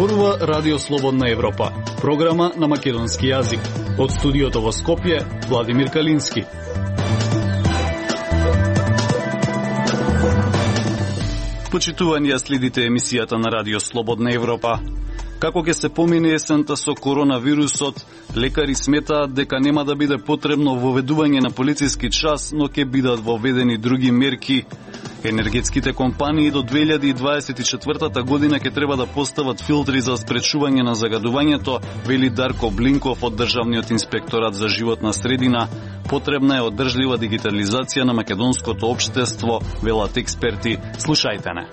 Зборува Радио Слободна Европа, програма на македонски јазик. Од студиото во Скопје, Владимир Калински. Почитувани, следите емисијата на Радио Слободна Европа. Како ќе се помине есента со коронавирусот, лекари сметаат дека нема да биде потребно воведување на полициски час, но ќе бидат воведени други мерки. Енергетските компании до 2024 година ќе треба да постават филтри за спречување на загадувањето, вели Дарко Блинков од Државниот инспекторат за животна средина. Потребна е одржлива дигитализација на македонското општество, велат експерти. Слушајте не.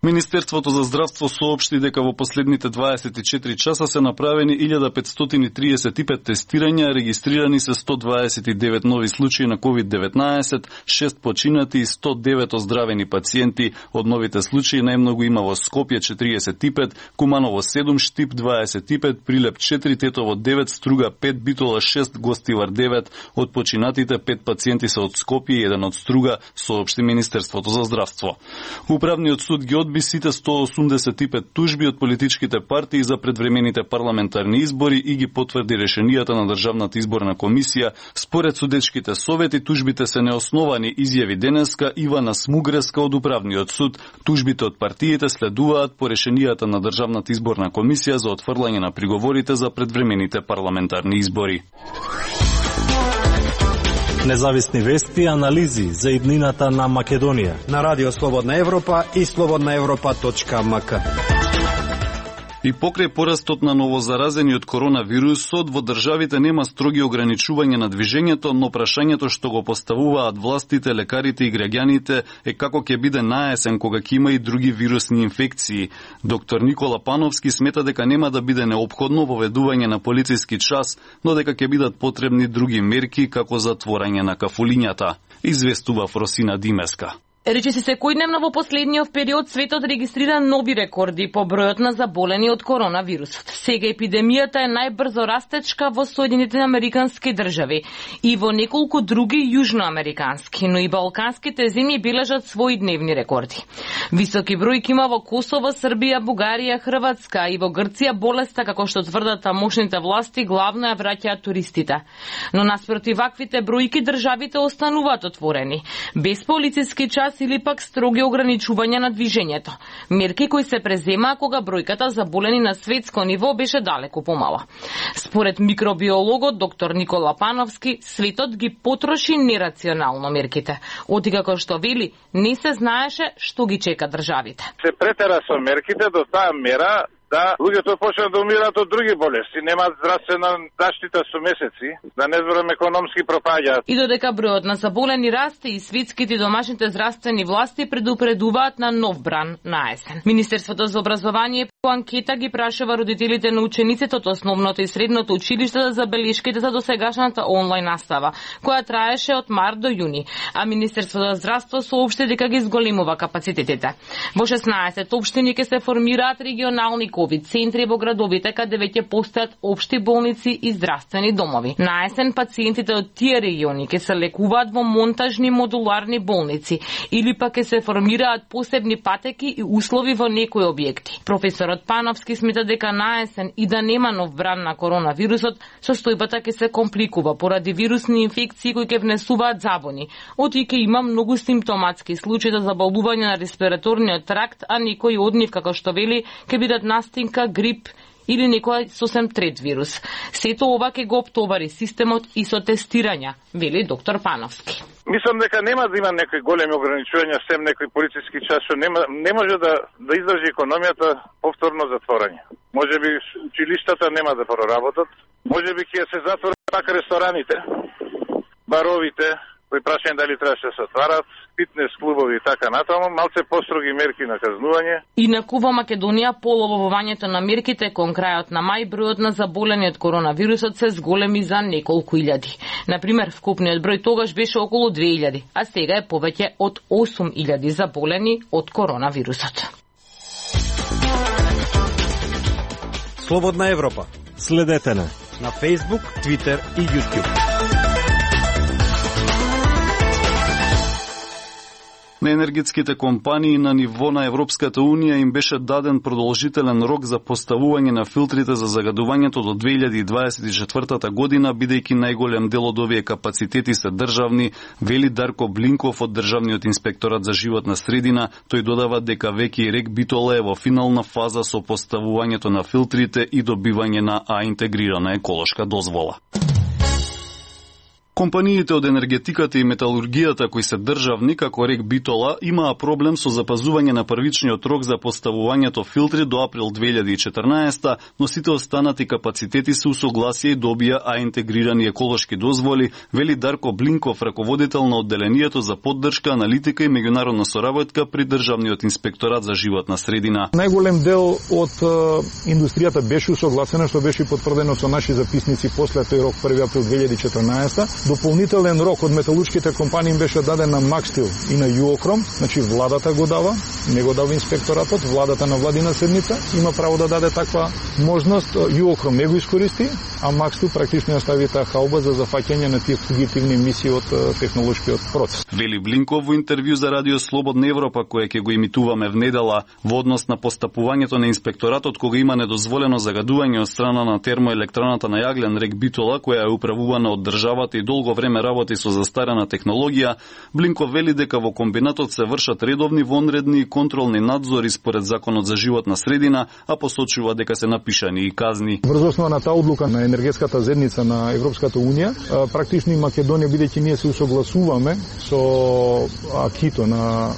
Министерството за здравство соопшти дека во последните 24 часа се направени 1535 тестирања, регистрирани се 129 нови случаи на COVID-19, 6 починати и 109 оздравени пациенти. Од новите случаи најмногу има во Скопје 45, Куманово 7, Штип 25, Прилеп 4, Тетово 9, Струга 5, Битола 6, Гостивар 9. Од починатите 5 пациенти се од Скопје и 1 од Струга, соопшти Министерството за здравство. Управниот суд ги одби сите 185 тужби од политичките партии за предвремените парламентарни избори и ги потврди решенијата на Државната изборна комисија. Според судечките совети, тужбите се неосновани, изјави денеска Ивана Смугреска од Управниот суд. Тужбите од партиите следуваат по решенијата на Државната изборна комисија за отфрлање на приговорите за предвремените парламентарни избори. Независни вести и анализи за иднината на Македонија на Радио Слободна Европа и slobodnaevropa.mk. И покрај порастот на новозаразени од коронавирусот, во државите нема строги ограничувања на движењето, но прашањето што го поставуваат властите, лекарите и граѓаните е како ќе биде наесен кога ќе има и други вирусни инфекции. Доктор Никола Пановски смета дека нема да биде неопходно воведување на полициски час, но дека ќе бидат потребни други мерки како затворање на кафулињата, известува Фросина Димеска. Речиси секојдневно во последниот период светот регистрира нови рекорди по бројот на заболени од коронавирусот. Сега епидемијата е најбрзо растечка во Соединетите Американски држави и во неколку други јужноамерикански, но и балканските земји бележат своји дневни рекорди. Високи бројки има во Косово, Србија, Бугарија, Хрватска и во Грција болеста, како што тврдат тамошните власти, главно ја враќаат туристите. Но наспроти ваквите бројки државите остануваат отворени, без полициски час или пак строги ограничувања на движењето. Мерки кои се преземаа кога бројката заболени на светско ниво беше далеку помала. Според микробиологот доктор Никола Пановски, светот ги потроши нерационално мерките. Оти како што вели, не се знаеше што ги чека државите. Се претера со мерките до таа мера да луѓето почнат да умираат од други болести, немаат здравствена заштита со месеци, да не зборам економски пропаѓаат. И додека бројот на заболени расте и светските и домашните здравствени власти предупредуваат на нов бран на есен. Министерството за образование по анкета ги прашува родителите на учениците од основното и средното училиште за забелешките за досегашната онлайн настава, која траеше од март до јуни, а Министерството за здравство соопшти дека ги зголемува капацитетите. Во 16 општини ќе се формираат регионални ковид центри во градовите каде веќе постојат општи болници и здравствени домови. На есен пациентите од тие региони ќе се лекуваат во монтажни модуларни болници или пак ќе се формираат посебни патеки и услови во некои објекти. Професорот Пановски смета дека на есен и да нема нов бран на коронавирусот, состојбата ќе се компликува поради вирусни инфекции кои ќе внесуваат забони. Оти ќе има многу симптоматски случаи за заболување на респираторниот тракт, а некои од нив, како што вели, ќе бидат настинка, грип или некој сосем трет вирус. Сето ова ќе го оптовари системот и со тестирања, вели доктор Пановски. Мислам дека нема да има некои големи ограничувања, сем некои полициски час, што не може да издржи економијата повторно затворање. Можеби училиштата нема да проработат, можеби ќе се затворат пак рестораните, баровите, кои прашање дали требаше да се отварат, фитнес клубови и така натаму, малце построги мерки на казнување. Инаку во Македонија по оловувањето на мерките кон крајот на мај бројот на заболени од коронавирусот се зголеми за неколку илјади. Например, вкупниот број тогаш беше околу 2000, а сега е повеќе од 8000 заболени од коронавирусот. Слободна Европа. Следете на Facebook, Twitter и YouTube. На енергетските компании на ниво на Европската Унија им беше даден продолжителен рок за поставување на филтрите за загадувањето до 2024 година, бидејќи најголем дел од овие капацитети се државни, вели Дарко Блинков од Државниот инспекторат за животна средина. Тој додава дека веќе и РЕК Битола е во финална фаза со поставувањето на филтрите и добивање на интегрирана еколошка дозвола. Компаниите од енергетиката и металургијата кои се државни, како РЕК Битола, имаа проблем со запазување на првичниот рок за поставувањето филтри до април 2014, но сите останати капацитети се усогласија и добија интегрирани еколошки дозволи, вели Дарко Блинков, раководител на одделението за поддршка, аналитика и меѓународна соработка при Државниот инспекторат за животна средина. Најголем дел од индустријата беше усогласена, што беше потврдено со наши записници после тој рок 1 април 2014. Дополнителен рок од металуршките компании беше даден на Макстил и на Юокром, значи владата го дава, не го дава инспекторатот, владата на владина седница има право да даде таква можност, Юокром не го искористи, а Макстил практично остави таа халба за зафаќање на тие фугитивни емисии од технолошкиот процес. Вели Блинков во интервју за Радио Слободна Европа, кое ќе го имитуваме внедела, во однос на постапувањето на инспекторатот кога има недозволено загадување од страна на термоелектраната на Јаглен РЕК Битола, која е управувана од државата и долго време работи со застарена технологија, Блинков вели дека во комбинатот се вршат редовни, вонредни и контролни надзори според Законот за животна средина, а посочува дека се напишани и казни. Врз основа на таа одлука на енергетската заедница на Европската Унија, практично и Македонија, бидејќи ние се усогласуваме со акито на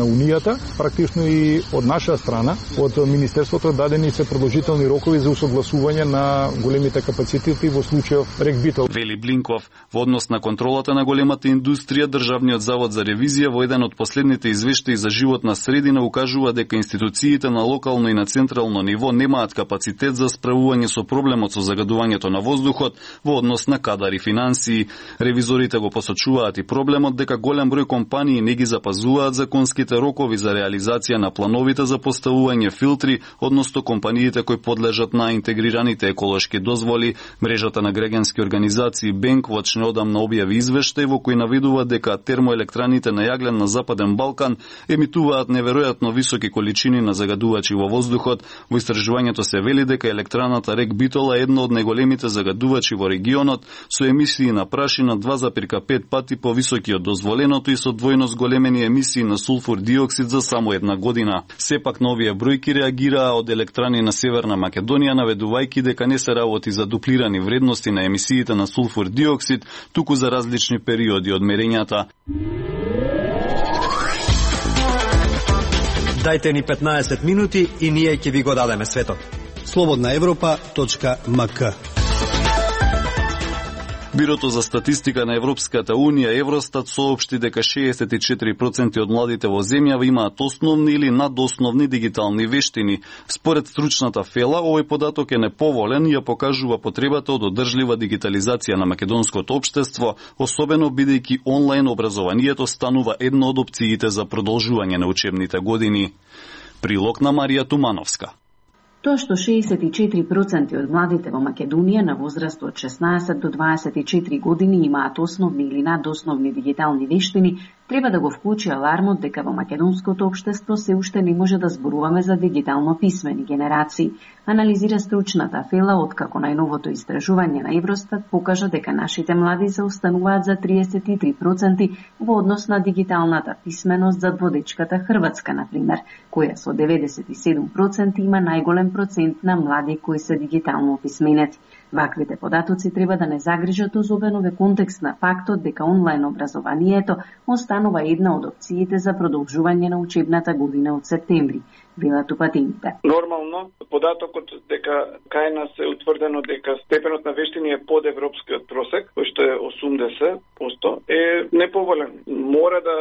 Унијата, практично и од наша страна, од Министерството дадени се продолжителни рокови за усогласување на големите капацитети во случајов РЕК Битола. Вели Блинков, во однос на контролата на големата индустрија, Државниот завод за ревизија во еден од последните извештаи за животна средина укажува дека институциите на локално и на централно ниво немаат капацитет за справување со проблемот со загадувањето на воздухот во однос на кадар и финансии. Ревизорите го посочуваат и проблемот дека голем број компании не ги запазуваат законските рокови за реализација на плановите за поставување филтри, односно компаниите кои подлежат на интегрираните еколошки дозволи. Мрежата на граѓански организации Бенквоч неодамна објави извештај во кој наведува дека термоелектраните на Јаглен на Западен Балкан емитуваат неверојатно високи количини на загадувачи во воздухот. Во истражувањето се вели дека електраната РЕК Битола е една од најголемите загадувачи во регионот, со емисии на прашина 2,5 пати повисоки од дозволеното и со двојно зголемени емисии на сулфур диоксид за само една година. Сепак на овие бројки реагираа од електрани на Северна Македонија, наведувајќи дека не се работи за дуплирани вредности на емисиите на сулфур диоксид, туку за различни периоди од мерењата. Дајте ни 15 минути и ние ќе ви го дадеме светот. slobodnaevropa.mk. Бирото за статистика на Европската Унија, Евростат, соопшти дека 64% од младите во земјава имаат основни или надосновни дигитални вештини. Според стручната фела, овој податок е неповолен и ја покажува потребата од одржлива дигитализација на македонското општество, особено бидејќи онлайн образованието станува една од опциите за продолжување на учебните години. Прилог на Марија Тумановска. Тоа што 64% од младите во Македонија на возраст од 16 до 24 години имаат основни или надосновни дигитални вештини, треба да го вклучи алармот дека во македонското општество се уште не може да зборуваме за дигитално писмени генерации. Анализира стручната фела откако најновото истражување на Евростат покажа дека нашите млади се остануваат за 33% во однос на дигиталната писменост за водечката Хрватска, например, која со 97% има најголем процент на млади кои се дигитално описменети. Ваквите податоци треба да не загрижат особено во контекст на фактот дека онлайн образованието останува една од опциите за продолжување на учебната година од септември, велат упатените. Нормално, податокот дека кај нас е утврдено дека степенот на вештини е под европскиот просек, кој што е 80%, е неповолен. Мора да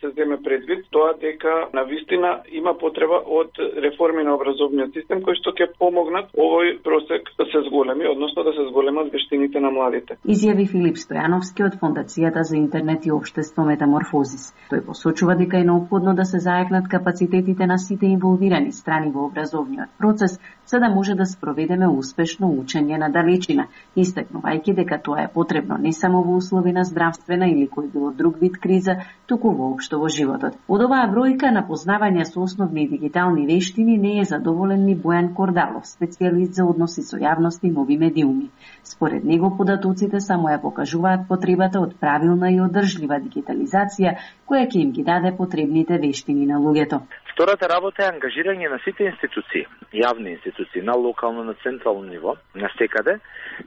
се земе предвид тоа дека навистина има потреба од реформи на образовниот систем кои што ќе помогнат овој просек да се зголеми, односно да се зголемат вештините на младите. Изјави Филип Стојановски од Фондацијата за интернет и општество Метаморфозис. Тој посочува дека е неопходно да се зајакнат капацитетите на сите инволвирани страни во образовниот процес, за да може да спроведеме успешно учење на далечина, истакнувајќи дека тоа е потребно не само во услови на здравствена или кој било друг вид криза, туку воопшто во животот. Од оваа бројка на познавања со основни дигитални вештини не е задоволен ни Бојан Кордалов, специјалист за односи со јавност и нови медиуми. Според него податоците само ја покажуваат потребата од правилна и одржлива дигитализација, која ќе им ги даде потребните вештини на луѓето. Втората работа е ангажирање на сите институции, јавни институции, на локално, на централно ниво, на секаде,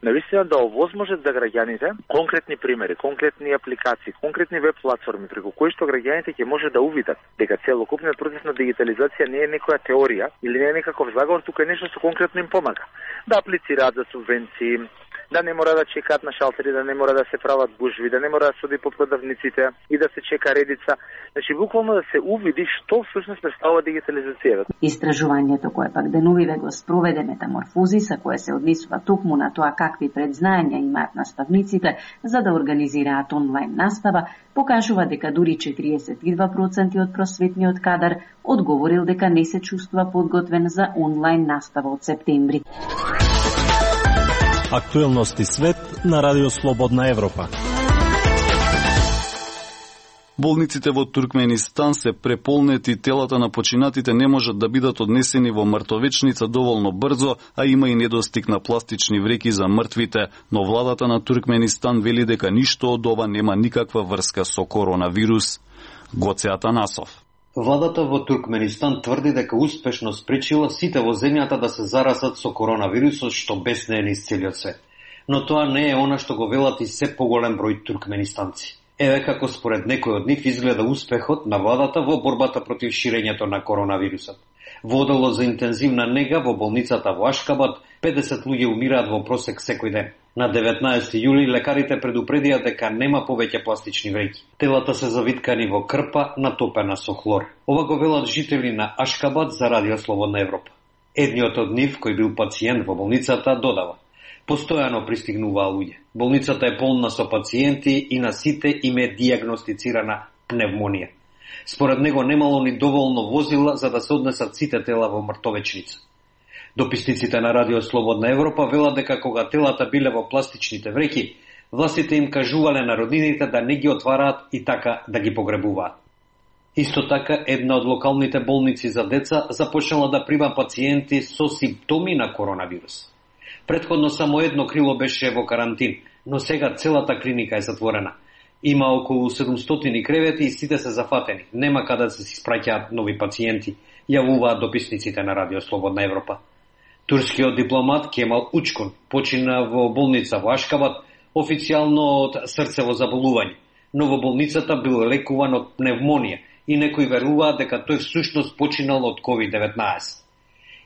навистина да овозможат за граѓаните конкретни примери, конкретни апликации, конкретни веб платформи преку кои што граѓаните ќе може да увидат дека целокупниот процес на дигитализација не е некоја теорија или не е некаков заговор, тука е нешто што конкретно им помага. Да аплицираат за субвенции, да не мора да чекаат на шалтери, да не мора да се прават гужви, да не мора да суди по продавниците и да се чека редица. Значи, буквално да се увиди што всушност представува дигитализацијата. Истражувањето кое пак деновиве го спроведе Метаморфозис, кое се однесува токму на тоа какви предзнаења имаат наставниците за да организираат онлайн настава, покажува дека дури 42% од просветниот кадар одговорил дека не се чувствува подготвен за онлайн настава од септември. Актуелности свет на Радио Слободна Европа. Болниците во Туркменистан се преполнети, телата на починатите не можат да бидат однесени во мртовечница доволно брзо, а има и недостиг на пластични вреки за мртвите, но владата на Туркменистан вели дека ништо од ова нема никаква врска со коронавирус. Гоце Атанасов. Владата во Туркменистан тврди дека успешно спречила сите во земјата да се заразат со коронавирусот што беснее низ целиот свет. Но тоа не е она што го велат и се поголем број туркменистанци. Еве како според некој од нив изгледа успехот на владата во борбата против ширењето на коронавирусот. Во оделот за интензивна нега во болницата во Ашкабад 50 луѓе умираат во просек секој ден. На 19 јули лекарите предупредија дека нема повеќе пластични вреќи. Телата се завиткани во крпа натопена со хлор. Ова го велат жители на Ашкабад за Радио Слободна Европа. Едниот од нив, кој бил пациент во болницата, додава: постојано пристигнуваа луѓе. Болницата е полна со пациенти и на сите им е диагностицирана пневмонија. Според него немало ни доволно возила за да се однесат сите тела во мртовечница. Дописниците на Радио Слободна Европа велат дека кога телата биле во пластичните вреќи, властите им кажувале на роднините да не ги отвараат и така да ги погребуваат. Исто така, една од локалните болници за деца започнала да прима пациенти со симптоми на коронавирус. Претходно само едно крило беше во карантин, но сега целата клиника е затворена. Има околу 700 кревети и сите се зафатени. Нема каде да се испраќаат нови пациенти, јавуваат дописниците на Радио Слободна Европа. Турскиот дипломат Кемал Учкун почина во болница во Ашкабад официјално од срцево заболување, но во болницата бил лекуван од пневмонија и некои веруваат дека тој всушност починал од COVID-19.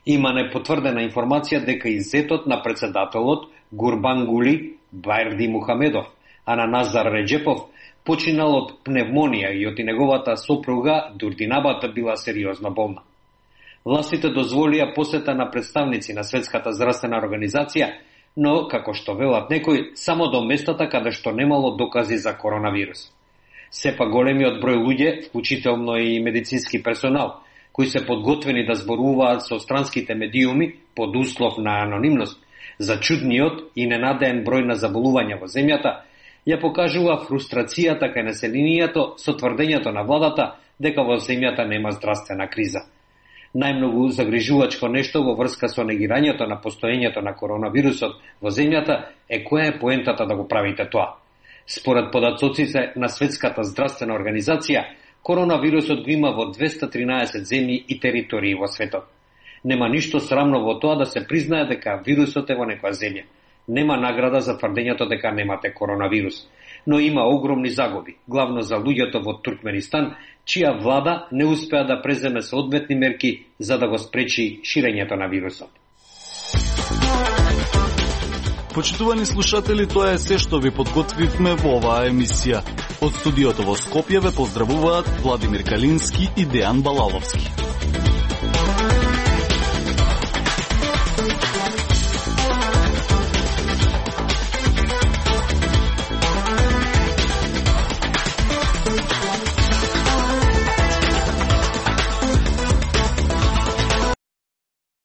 Има непотврдена информација дека и зетот на председателот Гурбангули Байрди Мухамедов, а на Назар Реджепов, починал од пневмонија и од неговата сопруга Дурдинабата била сериозно болна. Властите дозволија посета на представници на Светската здравствена организација, но, како што велат некои, само до местата каде што немало докази за коронавирус. Сепак големиот број луѓе, вклучително и медицински персонал, кои се подготвени да зборуваат со странските медиуми под услов на анонимност за чудниот и ненадеен број на заболувања во земјата, ја покажува фрустрацијата кај населението со тврдењето на владата дека во земјата нема здравствена криза. Најмногу загрижувачко нешто во врска со негирањето на постоењето на коронавирусот во земјата е која е поентата да го правите тоа. Според податоците на Светската здравствена организација, коронавирусот го има во 213 земји и територии во светот. Нема ништо срамно во тоа да се признае дека вирусот е во некоја земја. Нема награда за тврдењето дека немате коронавирус, но има огромни загуби, главно за луѓето во Туркменистан, чија влада не успеа да преземе соодветни мерки за да го спречи ширењето на вирусот. Почитувани слушатели, тоа е се што ви подготвивме во оваа емисија. Од студиото во Скопје ве поздравуваат Владимир Калински и Дејан Балаловски.